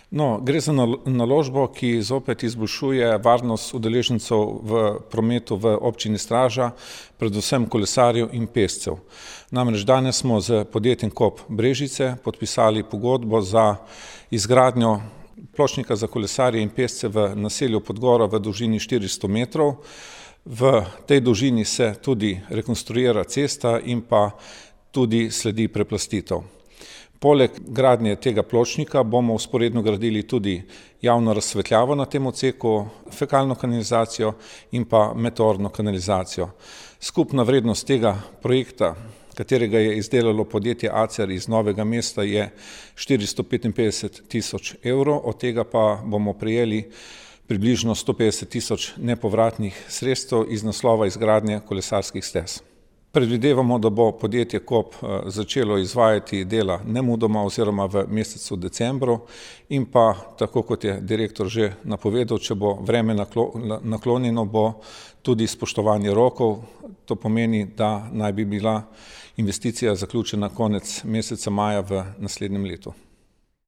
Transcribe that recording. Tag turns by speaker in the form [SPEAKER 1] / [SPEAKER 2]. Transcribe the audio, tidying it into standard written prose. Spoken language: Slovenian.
[SPEAKER 1] No, gre za naložbo, ki zopet izboljšuje varnost udeležencev v prometu v občini Straža, predvsem kolesarjev in pešcev. Namreč danes smo z podjetjem Kop Brežice podpisali pogodbo za izgradnjo pločnika za kolesarje in pešce v naselju Podgora v dolžini 400 metrov. V tej dolžini se tudi rekonstruira cesta in pa tudi sledi preplastitev. Poleg gradnje tega pločnika bomo vzporedno gradili tudi javno razsvetljavo na tem odseku, fekalno kanalizacijo in pa meteorno kanalizacijo. Skupna vrednost tega projekta, katerega je izdelalo podjetje Acer iz Novega mesta, je 455.000 evrov, od tega pa bomo prejeli približno 150.000 nepovratnih sredstev iz naslova izgradnje kolesarskih stez. Predvidevamo, da bo podjetje Kop začelo izvajati dela nemudoma oziroma v mesecu decembru in pa, tako kot je direktor že napovedal, če bo vreme naklonjeno, bo tudi spoštovanje rokov. To pomeni, da naj bi bila investicija zaključena konec meseca maja v naslednjem letu.